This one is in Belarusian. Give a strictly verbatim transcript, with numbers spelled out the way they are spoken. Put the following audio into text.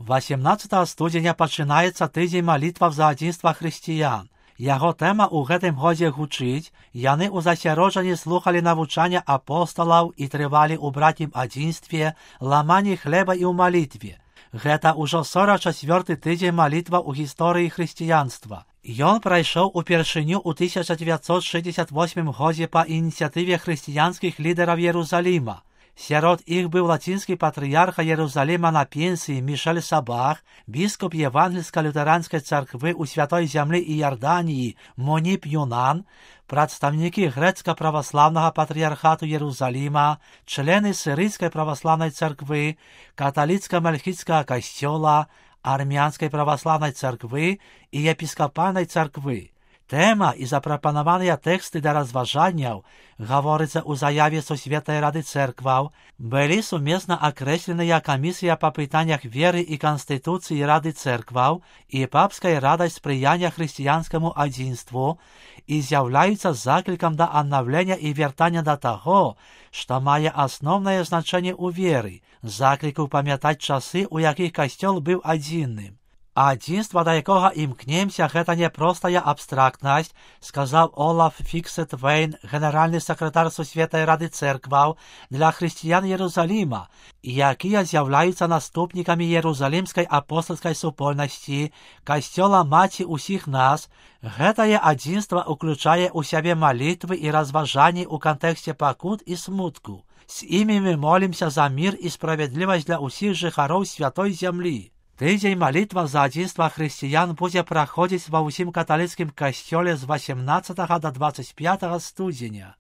восемнадцатага студзеня пачынаецца тыдзень малітваў за адзінства хрысціян. Яго тэма ў гэтым годзе гучыць, яны ў засяроджанні слухалі навучання апосталаў і трывалі ў братнім адзінстве, ламанні хлеба і ў малітве. Гэта ўжо сорак чацвёрты тыдзень малітва ў гісторыі хрысціянства. Ён прайшоў упершыню ў тысяча дзевяцьсот шэсцьдзесят восьмым годзе па ініцыятыве хрысціянскіх лідараў Єрусаліма. Сярод іх быў лацінскі патрыярха Єрусаліма на пенсіі Мішель Сабах, біскуп евангельска-лютэранскай царквы ў Святой зямлі і Ярданіі Моніп Юнан, прадстаўнікі грэцка-праваслаўнага патрыярхату Єрусаліма, члены сірыйскай праваслаўнай царквы, каталіцка-мальхіцкага касцёла, армянскай праваслаўнай царквы і епіскапальнай царквы. Тэма і запрапанаваныя тэксты для разважанняў, гаворыцца ў заяве Сусветнай рады цэркваў, былі сумесна акрэсленыя камісія па пытаннях веры і канстытуцыі рады цэркваў і папскай радай спрыяння хрысціянскаму адзінству і з'яўляюцца заклікам да аднаўлення і вяртання да таго, што мае асноўнае значэнне ў веры, закліку памятаць часы, у якіх касцёл быў адзінным. Адзінства, да якога імкнемся, гэта не простая абстрактнасць, сказаў Олаф Фіксет-Вейн, генеральны сакратар Сусветнай рады цэркваў для хрысціян Єрусаліма, якія з'яўляюцца наступнікамі Єрусалімскай апостальскай супольнасці, касцёла маці ўсіх нас. Гэтае адзінства ўключае ў сябе малітвы і разважанні ў кантэксце пакут і смутку. З імі мы молімся за мір і справядлівасць для ўсіх жыхароў святой зямлі. Тыдзень малітва за адзінства хрысціян будзе праходзіць ва ўсім каталіцкім касцёле з восемнадцатага да дваццаць пятага студзеня.